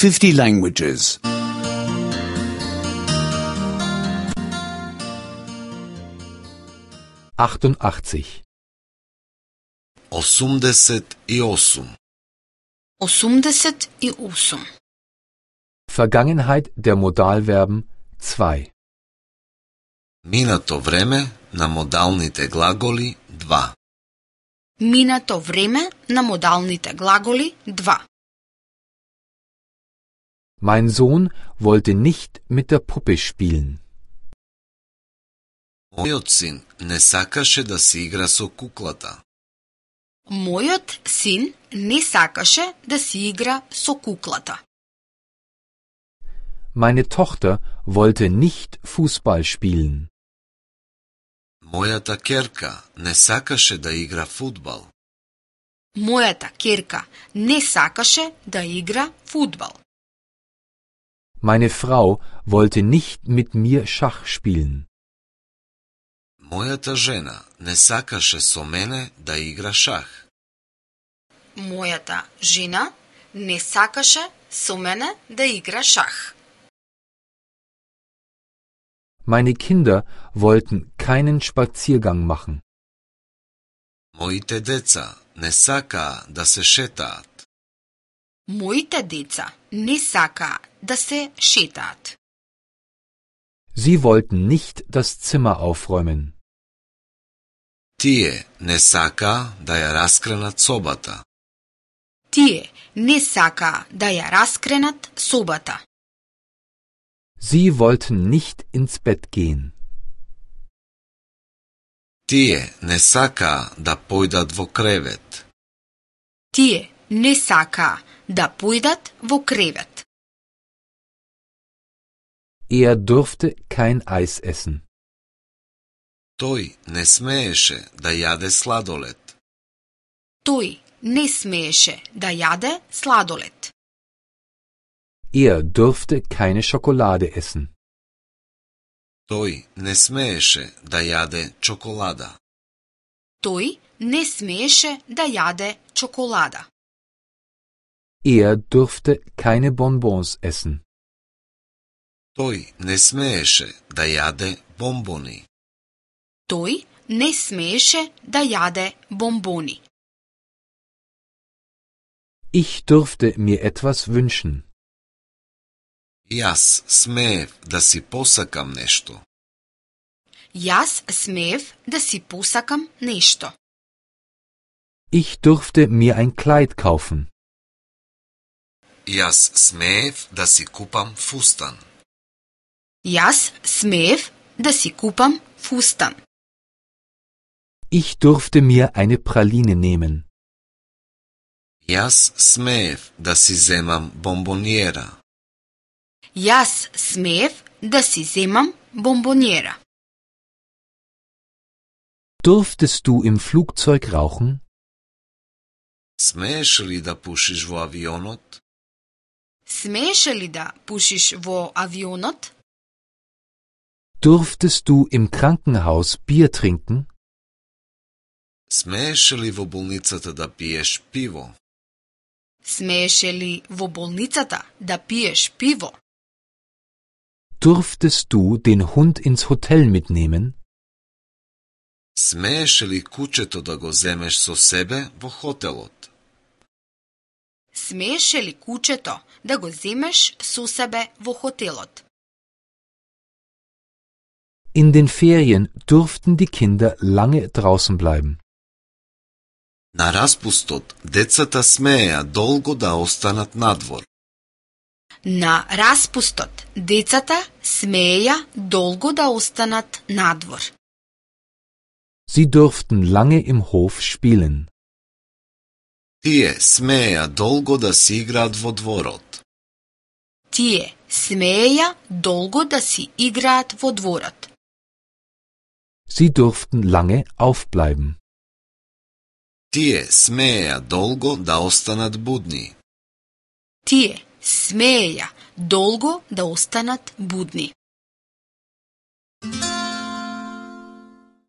50 languages. 88. 88. 88. Vergangenheit der Modalverben 2. Минато време на модалните глаголи 2. Минато време на модалните глаголи 2. Mein Sohn wollte nicht mit der Puppe spielen. Мојот син не сакаше да се игра со куклата. Мојот син не сакаше да си игра со куклата. Meine Tochter wollte nicht Fußball spielen. Мојата ќерка не сакаше да игра фудбал. Мојата ќерка не сакаше да игра фудбал. Meine Frau wollte nicht mit mir Schach spielen. Мојата жена не сакаше со мене да игра шах. Мојата жена не сакаше со мене да игра шах. Meine Kinder wollten keinen Spaziergang machen. Моите деца не сакаа да се шетаат. Моите деца не сакаа да се шетаат. Sie wollten nicht das Zimmer aufräumen. Тие не сакаа да ја раскренат собата. Тие не сакаа да ја раскренат собата. Sie wollten nicht ins Bett gehen. Тие не сакаа да појдат во кревет. Тие не сакаа да појдат во кревет. Er durfte kein Eis essen. Тој не смееше да јаде сладолед. Тој не смееше да јаде сладолед. Er durfte keine Schokolade essen. Тој не смееше да јаде чоколада. Тој не смееше да јаде чоколада. Er durfte keine Bonbons essen. Тој не смееше да јаде бомбони. Тој не смееше да јаде бомбони. Ich durfte mir etwas wünschen. Јас смеев да си посакам нешто. Јас смеев да си посакам нешто. Ich durfte mir ein Kleid kaufen. Јас смеев да си купам фустан. Јас смеев да си купам фустан. Ich durfte mir eine Praline nehmen. Јас смеев да си земам бомбониера. Јас смеев да си земам бомбониера. Durftest du im Flugzeug rauchen? Смееш ли да пушиш во авионот? Смееше ли да пушиш во авионот? Durftest du im Krankenhaus Bier trinken? Смееше ли во болницата да пиеш пиво? Смееше ли во болницата да пиеш пиво? Durftest du den Hund ins Hotel mitnehmen? Смееше ли кучето да го земеш со себе во хотелот? Смееше ли кучето да го земеш со себе во хотелот? In den Ferien durften die Kinder lange draußen bleiben. На распустот, децата смееа долго да останат надвор. На распустот, децата смееја долго да останат надвор. Sie durften lange im Hof spielen. Тие смееа долго да си играат во дворот. Тие смееја долго да си играат во дворот. Sie durften lange aufbleiben. Тие смееа долго да останат будни. Тие смееја долго да останат будни.